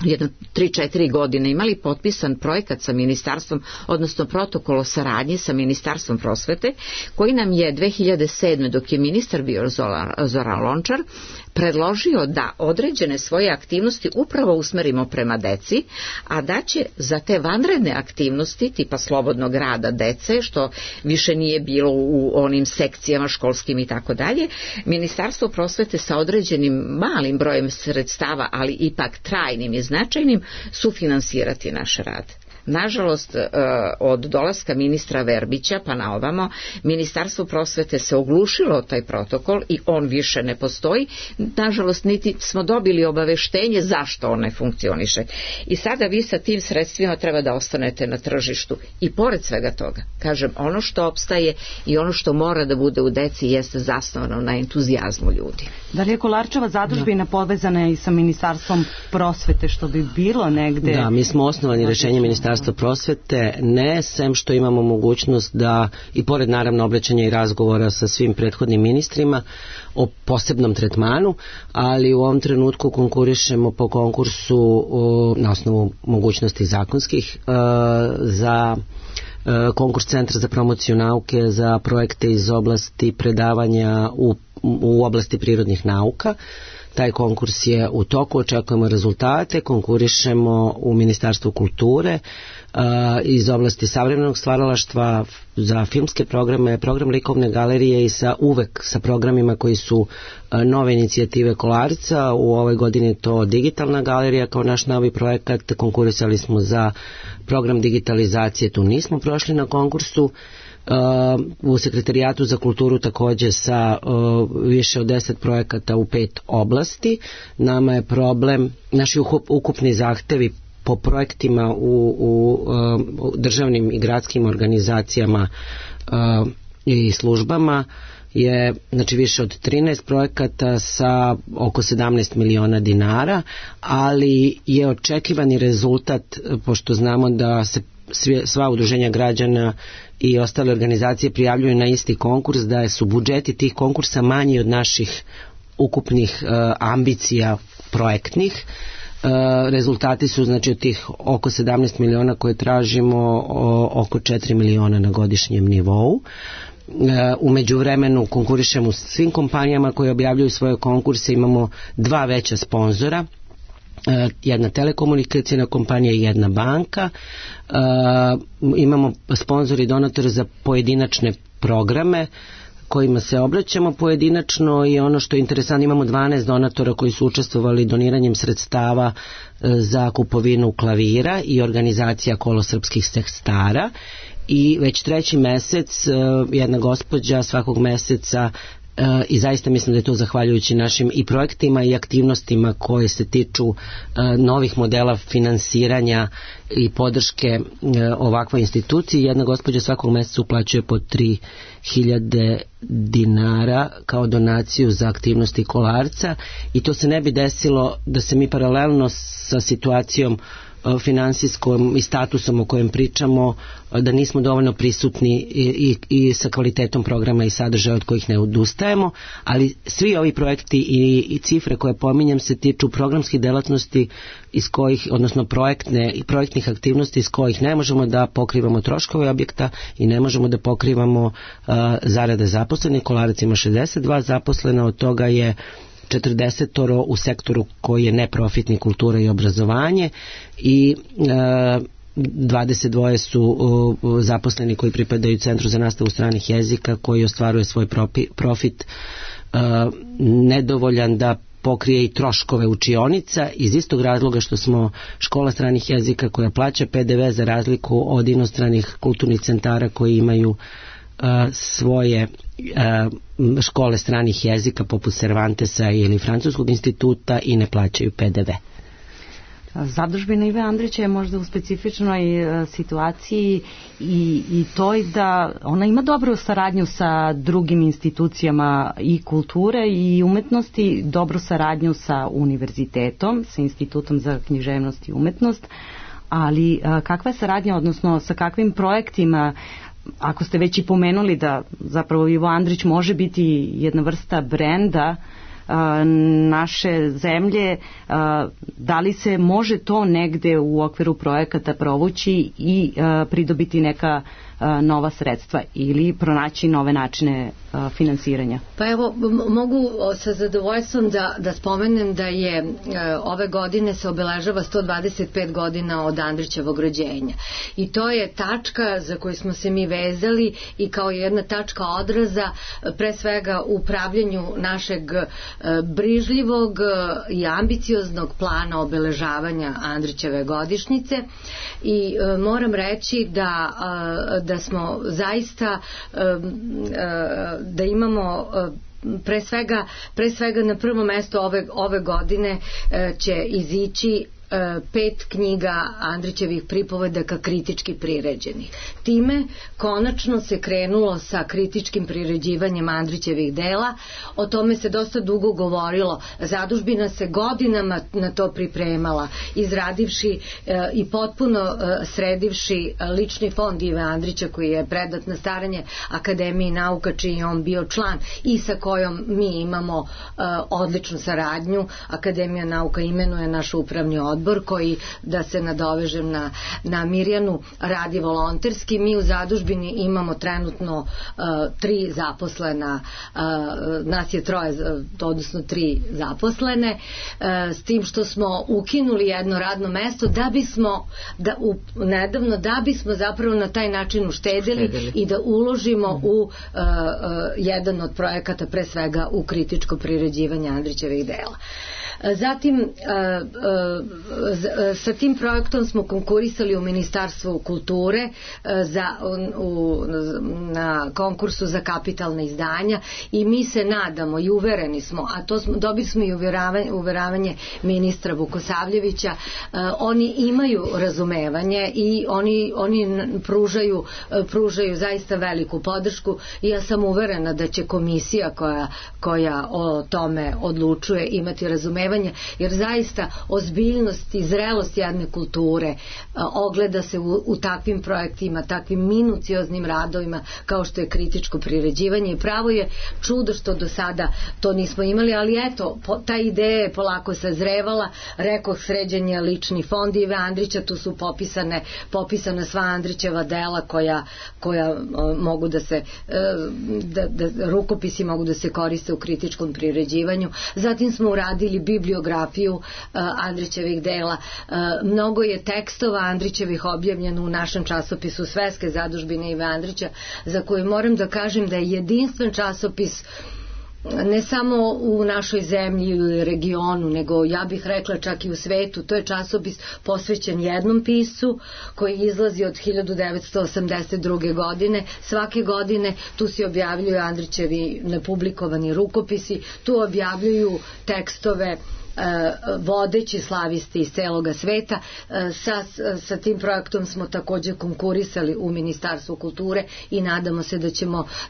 jedno 3-4 godine imali potpisan projekat sa ministarstvom, odnosno protokol o saradnji sa ministarstvom prosvete, koji nam je 2007. dok je ministar bio Zoran Lončar, predložio da određene svoje aktivnosti upravo usmerimo prema deci, a da će za te vanredne aktivnosti tipa slobodnog rada dece, što više nije bilo u onim sekcijama školskim i tako dalje, Ministarstvo prosvete sa određenim malim brojem sredstava, ali ipak trajnim i značajnim, sufinansirati naš rad. Nažalost, od dolaska ministra Verbića pa na ovamo, Ministarstvo prosvete se oglušilo o taj protokol i on više ne postoji. Nažalost, niti smo dobili obaveštenje zašto on ne funkcioniše. I sada vi sa tim sredstvima treba da ostanete na tržištu. I pored svega toga, kažem, ono što opstaje i ono što mora da bude u deci jeste zasnovano na entuzijazmu ljudi. Da li je Kolarčeva zadužbina povezana i sa Ministarstvom prosvete, što bi bilo negde? Da, mi smo osnovani rešenjem Ministarstva prosvete, ne sem što imamo mogućnost da, i pored naravno obraćanja i razgovora sa svim prethodnim ministrima o posebnom tretmanu, ali u ovom trenutku konkurišemo po konkursu na osnovu mogućnosti zakonskih za konkurs Centra za promociju nauke za projekte iz oblasti predavanja u oblasti prirodnih nauka. Taj konkurs je u toku, očekujemo rezultate, konkurišemo u Ministarstvu kulture iz oblasti savremenog stvaralaštva za filmske programe, program likovne galerije i uvek sa programima koji su nove inicijative Kolarca. U ovoj godini je to digitalna galerija kao naš novi projekat, konkurisali smo za program digitalizacije, tu nismo prošli na konkursu. U Sekretarijatu za kulturu takođe sa više od 10 projekata u 5 oblasti. Nama je problem, naši ukupni zahtevi po projektima u državnim i gradskim organizacijama i službama je znači više od 13 projekata sa oko 17 miliona dinara, ali je očekivani rezultat, pošto znamo da se sva udruženja građana i ostale organizacije prijavljuju na isti konkurs, da su budžeti tih konkursa manji od naših ukupnih ambicija projektnih. Rezultati su znači od tih oko 17 miliona koje tražimo oko 4 miliona na godišnjem nivou. U međuvremenu konkurišemo u svim kompanijama koje objavljuju svoje konkurse, imamo 2 veća sponzora, jedna telekomunikacijna kompanija i jedna banka. Imamo sponzor i donator za pojedinačne programe kojima se obraćamo pojedinačno, i ono što je interesantno, imamo 12 donatora koji su učestvovali doniranjem sredstava za kupovinu klavira i organizacija Kolo srpskih sestara, i već 3. mesec jedna gospođa svakog meseca, i zaista mislim da je to zahvaljujući našim i projektima i aktivnostima koje se tiču novih modela finansiranja i podrške ovakvoj instituciji. Jedna gospođa svakog meseca uplaćuje po 3.000 dinara kao donaciju za aktivnosti Kolarca, i to se ne bi desilo da se mi paralelno sa situacijom finansijskom i statusom o kojem pričamo, da nismo dovoljno prisutni i sa kvalitetom programa i sadržaja od kojih ne odustajemo, ali svi ovi projekti i cifre koje pominjem se tiču programskih delatnosti iz kojih, odnosno projektnih aktivnosti iz kojih ne možemo da pokrivamo troškove objekta i ne možemo da pokrivamo zarade zaposlenih. Kolarac ima 62 zaposlena, od toga je 40 u sektoru koji je neprofitni, kultura i obrazovanje, i 22 su zaposleni koji pripadaju Centru za nastavu stranih jezika, koji ostvaruje svoj profit nedovoljan da pokrije i troškove učionica, iz istog razloga što smo škola stranih jezika koja plaća PDV za razliku od inostranih kulturnih centara koji imaju svoje škole stranih jezika poput Cervantesa ili Francuskog instituta i ne plaćaju PDV. Zadužbina Ive Andrića je možda u specifičnoj situaciji i toj da ona ima dobru saradnju sa drugim institucijama i kulture i umetnosti, dobru saradnju sa univerzitetom, sa Institutom za književnost i umetnost, ali kakva je saradnja, odnosno sa kakvim projektima, ako ste već i pomenuli da zapravo Ivo Andrić može biti jedna vrsta brenda naše zemlje, da li se može to negde u okviru projekata provući i pridobiti neka nova sredstva ili pronaći nove načine finansiranja? Pa evo, mogu sa zadovoljstvom da spomenem da je ove godine se obeležava 125 godina od Andrićevog rođenja, i to je tačka za koju smo se mi vezali i kao jedna tačka odraza pre svega u upravljanju našeg brižljivog i ambicioznog plana obeležavanja Andrićeve godišnjice i moram reći da smo zaista da imamo pre svega na prvo mesto ove godine će izići 5 knjiga Andrićevih pripovedaka kritički priređenih. Time konačno se krenulo sa kritičkim priređivanjem Andrićevih dela. O tome se dosta dugo govorilo. Zadužbina se godinama na to pripremala, izradivši i potpuno sredivši lični fond Ive Andrića koji je predat na staranje Akademiji nauka čiji je on bio član i sa kojom mi imamo odličnu saradnju. Akademija nauka imenuje naš upravni odbor koji, da se nadovežem na Mirjanu, radi volonterski. Mi u zadužbini imamo trenutno 3 zaposlena, nas je 3, odnosno 3 zaposlene, s tim što smo ukinuli jedno radno mesto nedavno da bismo zapravo na taj način uštedili i da uložimo u jedan od projekata, pre svega u kritičko priređivanje Andrićevih dela. Zatim sa tim projektom smo konkurisali u Ministarstvu kulture na konkursu za kapitalna izdanja i mi se nadamo i uvereni smo, a to dobili smo i uveravanje ministra Vukosavljevića, oni imaju razumevanje i oni pružaju zaista veliku podršku i ja sam uverena da će komisija koja o tome odlučuje imati razumevanje, jer zaista ozbiljnost i zrelost jedne kulture ogleda se u takvim projektima, takvim minucioznim radovima kao što je kritičko priređivanje i pravo je čudo što do sada to nismo imali, ali eto, ta ideja je polako sazrevala. Rekoh, sređen je lični fond Ive Andrića, tu su popisana sva Andrićeva dela koja mogu da se rukopisi mogu da se koriste u kritičkom priređivanju. Zatim smo uradili bibliografiju Andrićevih dela. Mnogo je tekstova Andrićevih objavljeno u našem časopisu Svetske zadužbine Ive Andrića, za koju moram da kažem da je jedinstven časopis ne samo u našoj zemlji ili regionu, nego ja bih rekla čak i u svetu. To je časopis posvećen jednom piscu koji izlazi od 1982. godine. Svake godine tu se objavljuju Andrićevi nepublikovani rukopisi, tu objavljuju tekstove vodeći slavisti iz celoga sveta. Sa tim projektom smo također konkurisali u Ministarstvu kulture i nadamo se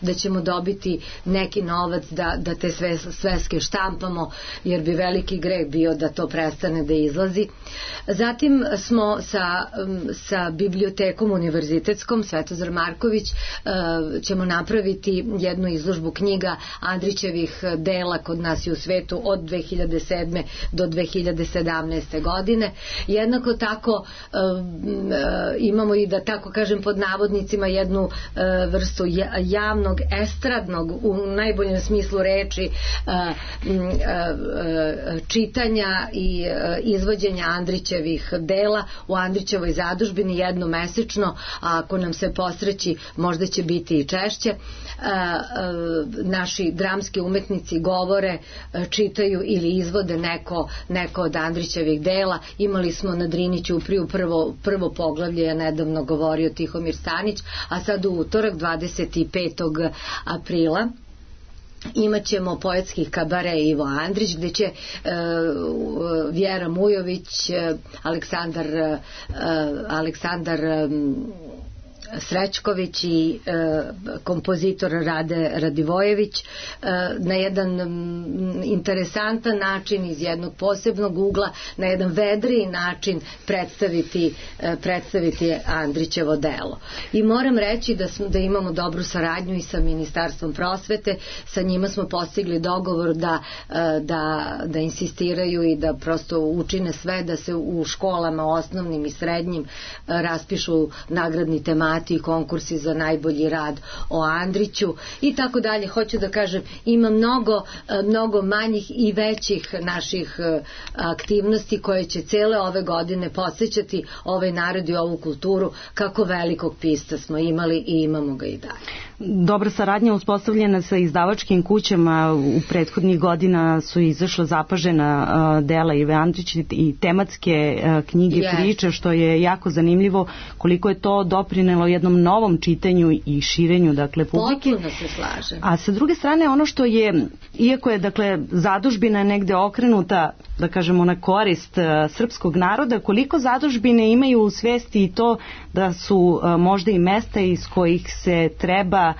da ćemo dobiti neki novac da te sveske štampamo, jer bi veliki greh bio da to prestane da izlazi. Zatim smo sa bibliotekom univerzitetskom Svetozar Marković ćemo napraviti jednu izložbu knjiga Andrićevih dela kod nas i u svetu od 2007. do 2017. godine. Jednako tako imamo i, da tako kažem pod navodnicima, jednu vrstu javnog estradnog u najboljem smislu reči čitanja i izvođenja Andrićevih dela u Andrićevoj zadužbini jednomesečno, a ako nam se posreći možda će biti i češće. Naši dramski umetnici govore, čitaju ili izvode neko od Andrićevih dela. Imali smo na Drini Ćupriju prvo poglavlje, je nedavno govorio Tihomir Stanić, a sad u utorak 25. aprila imat ćemo poetskih kabare Ivo Andrić, gde će Vjera Mujović, Aleksandar Srećković i kompozitor Rade Radivojević na jedan interesantan način, iz jednog posebnog ugla, na jedan vedriji način predstaviti Andrićevo delo. I moram reći da imamo dobru saradnju i sa Ministarstvom prosvete. Sa njima smo postigli dogovor da insistiraju i da prosto učine sve da se u školama osnovnim i srednjim raspišu nagradni temati i konkursi za najbolji rad o Andriću i tako dalje. Hoću da kažem, ima mnogo manjih i većih naših aktivnosti koje će cele ove godine podsjećati ovaj narod i ovu kulturu kako velikog pisca smo imali i imamo ga i dalje. Dobra saradnja uspostavljena sa izdavačkim kućama. U prethodnih godina su izašla zapažena dela Ive Andrić i tematske knjige priče, što je jako zanimljivo koliko je to doprinelo jednom novom čitanju i širenju, dakle, publike. Potpuno se slažem. A sa druge strane, ono što je, iako je, dakle, zadužbina negde okrenuta, da kažemo, na korist srpskog naroda, koliko zadužbine imaju u svesti i to da su možda i mesta iz kojih se treba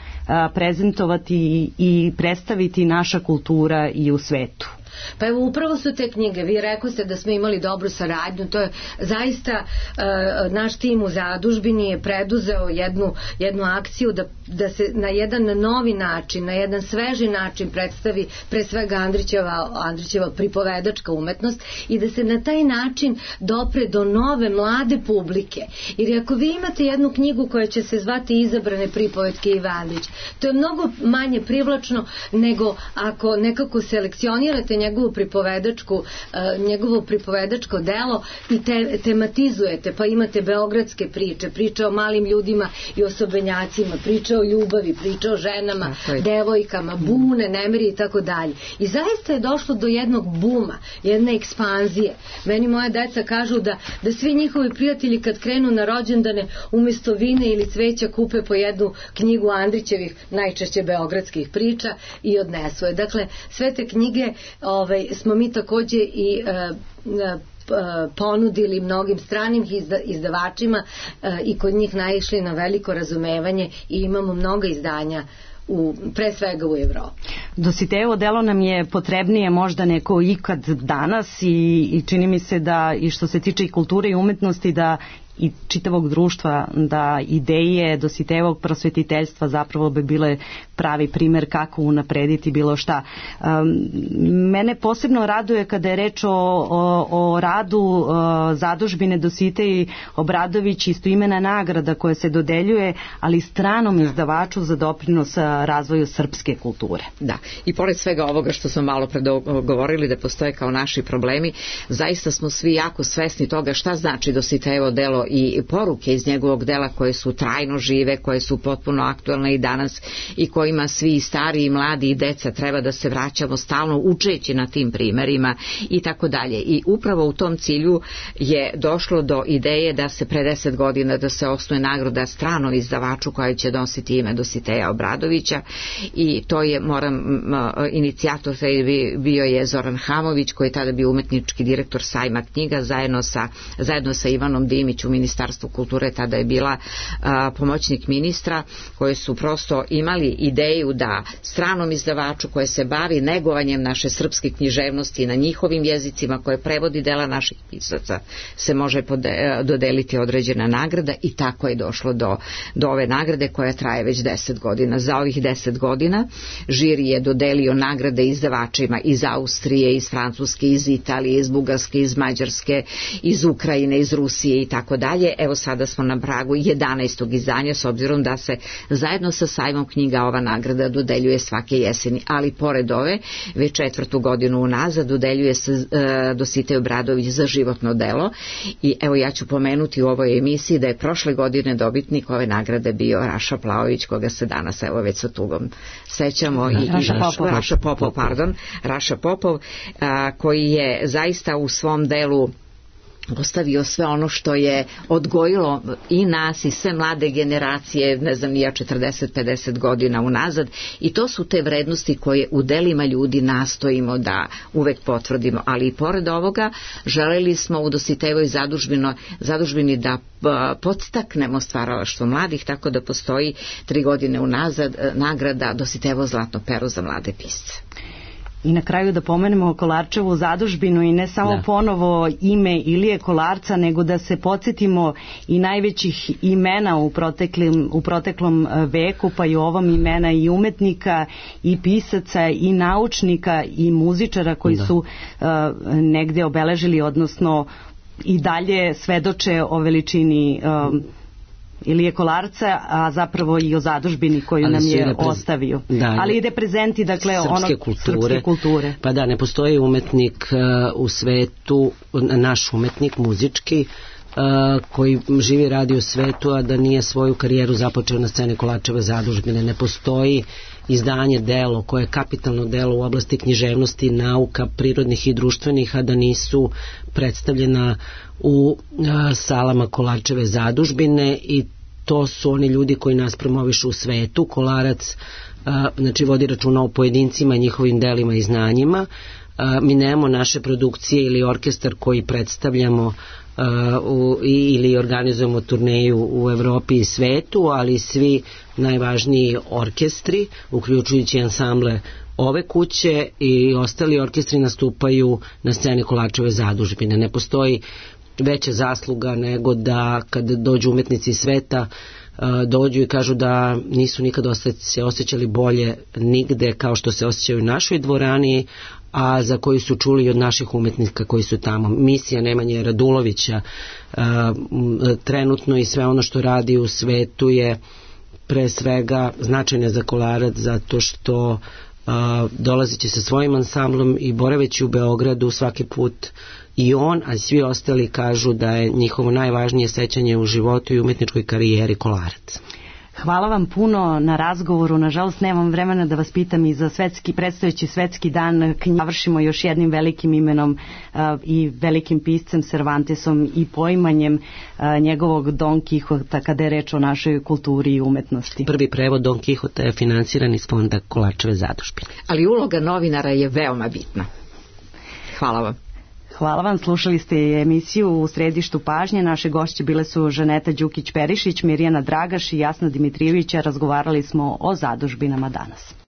prezentovati i predstaviti naša kultura i u svetu. Pa evo, upravo su te knjige, vi rekoste da smo imali dobru saradnju, to je zaista naš tim u zadužbini je preduzeo jednu akciju da se na jedan novi način, na jedan sveži način predstavi pre svega Andrićeva pripovedačka umetnost i da se na taj način dopre do nove mlade publike. Jer ako vi imate jednu knjigu koja će se zvati Izabrane pripovetke Ive Andrić, to je mnogo manje privlačno nego ako nekako selekcionirate njegovo pripovedačko delo i tematizujete, pa imate beogradske priče o malim ljudima i osobenjacima, priče o ljubavi, priče o ženama, devojkama, bune, nemiri i tako dalje. I zaista je došlo do jednog buma, jedne ekspanzije. Meni moja deca kažu da svi njihovi prijatelji kad krenu na rođendane umjesto vine ili cveća kupe po jednu knjigu Andrićevih, najčešće beogradskih priča i odnesu je. Dakle, sve te knjige smo mi takođe i ponudili mnogim stranim izdavačima i kod njih naišli na veliko razumevanje i imamo mnogo izdanja pre svega u Evropi. Dositejevo delo nam je potrebnije možda neko ikad danas i čini mi se da i što se tiče i kulture i umetnosti da i čitavog društva, da ideje Dositejevog prosvetiteljstva zapravo bi bile pravi primer kako unaprediti bilo šta. Mene posebno raduje kada je reč o radu zadužbine Dositej Obradović, istoimena nagrada koja se dodeljuje, ali stranom izdavaču za doprinos razvoju srpske kulture. Da, i pored svega ovoga što smo malo govorili da postoje kao naši problemi, zaista smo svi jako svesni toga šta znači Dositejevo delo i poruke iz njegovog dela koje su trajno žive, koje su potpuno aktualne i danas i kojima svi stari i mladi i deca treba da se vraćamo stalno učeći na tim primerima i tako dalje. I upravo u tom cilju je došlo do ideje da se pre 10 godina da se osnuje nagrada stranom izdavaču koja će nositi ime Dositeja Obradovića i to je, inicijator bio je Zoran Hamović koji je tada bio umetnički direktor sajma knjiga zajedno sa Ivanom Dimić u Ministarstvu kulture, tada je bila pomoćnik ministra, koji su prosto imali ideju da stranom izdavaču koje se bavi negovanjem naše srpske književnosti na njihovim jezicima, koje prevodi dela naših pisaca, se može dodeliti određena nagrada i tako je došlo do ove nagrade koja traje već 10 godina. Za ovih 10 godina žiri je dodelio nagrade izdavačima iz Austrije, iz Francuske, iz Italije, iz Bugarske, iz Mađarske, iz Ukrajine, iz Rusije i tako dalje. Evo sada smo na pragu 11. izdanja, s obzirom da se zajedno sa sajmom knjiga ova nagrada dodeljuje svake jeseni, ali pored ove već 4. godinu unazad dodeljuje se Dositej Obradović za životno delo i evo ja ću pomenuti u ovoj emisiji da je prošle godine dobitnik ove nagrade bio Raša Plaović, koga se danas evo već sa tugom sećamo Raša Popov, koji je zaista u svom delu ostavio sve ono što je odgojilo i nas i sve mlade generacije, ne znam, ja 40-50 godina unazad, i to su te vrednosti koje u delima ljudi nastojimo da uvek potvrdimo, ali i pored ovoga želeli smo u Dositejevoj zadužbini da podstaknemo stvaralaštvo mladih, tako da postoji 3 godine unazad nagrada Dositejevo zlatno pero za mlade pisce. I na kraju da pomenemo Kolarčevu zadužbinu i ne samo ponovo ime Ilije Kolarca, nego da se podsjetimo i najvećih imena u proteklom veku, pa i ovom imena i umetnika i pisaca i naučnika i muzičara koji su negde obeležili, odnosno i dalje svedoče o veličini Ilije Kolarca, a zapravo i o zadužbini koju nam je ostavio. Ali i reprezenti, dakle, srpske kulture. Pa da, ne postoji umetnik u svetu, naš umetnik muzički, koji živi i radi u svetu, a da nije svoju karijeru započeo na sceni Kolarčeve zadužbine. Ne postoji izdanje, delo koje je kapitalno delo u oblasti književnosti, nauka, prirodnih i društvenih, a da nisu predstavljena u salama Kolarčeve zadužbine, i to su oni ljudi koji nas promovišu u svetu. Kolarac znači vodi računa o pojedincima, njihovim delima i znanjima. Mi nemamo naše produkcije ili orkestar koji predstavljamo ili organizujemo turneju u Evropi i svetu, ali svi najvažniji orkestri, uključujući ansamble ove kuće i ostali orkestri, nastupaju na sceni Kolarčeve zadužbine. Ne postoji veća zasluga nego da kad dođu umetnici iz sveta dođu i kažu da nisu nikad se osjećali bolje nigde kao što se osjećaju u našoj dvorani, a za koji su čuli od naših umetnika koji su tamo. Misija Nemanje Radulovića trenutno i sve ono što radi u svetu je pre svega značajna za Kolarac, zato što dolazeći sa svojim ansamblom i boraveći u Beogradu svaki put i on, a svi ostali kažu da je njihovo najvažnije sećanje u životu i umetničkoj karijeri Kolarac. Hvala vam puno na razgovoru. Nažalost, nemam vremena da vas pitam i za predstojeći svetski dan. Završimo još jednim velikim imenom i velikim piscem Cervantesom i poimanjem njegovog Don Kihota kada je reč o našoj kulturi i umetnosti. Prvi prevod Don Kihota je finansiran iz fonda Kolarčeve zadužbine. Ali uloga novinara je veoma bitna. Hvala vam. Hvala vam, slušali ste emisiju U središtu pažnje. Naše gošće bile su Žaneta Đukić-Perišić, Mirjana Dragaš i Jasna Dimitrijević. Razgovarali smo o zadužbinama danas.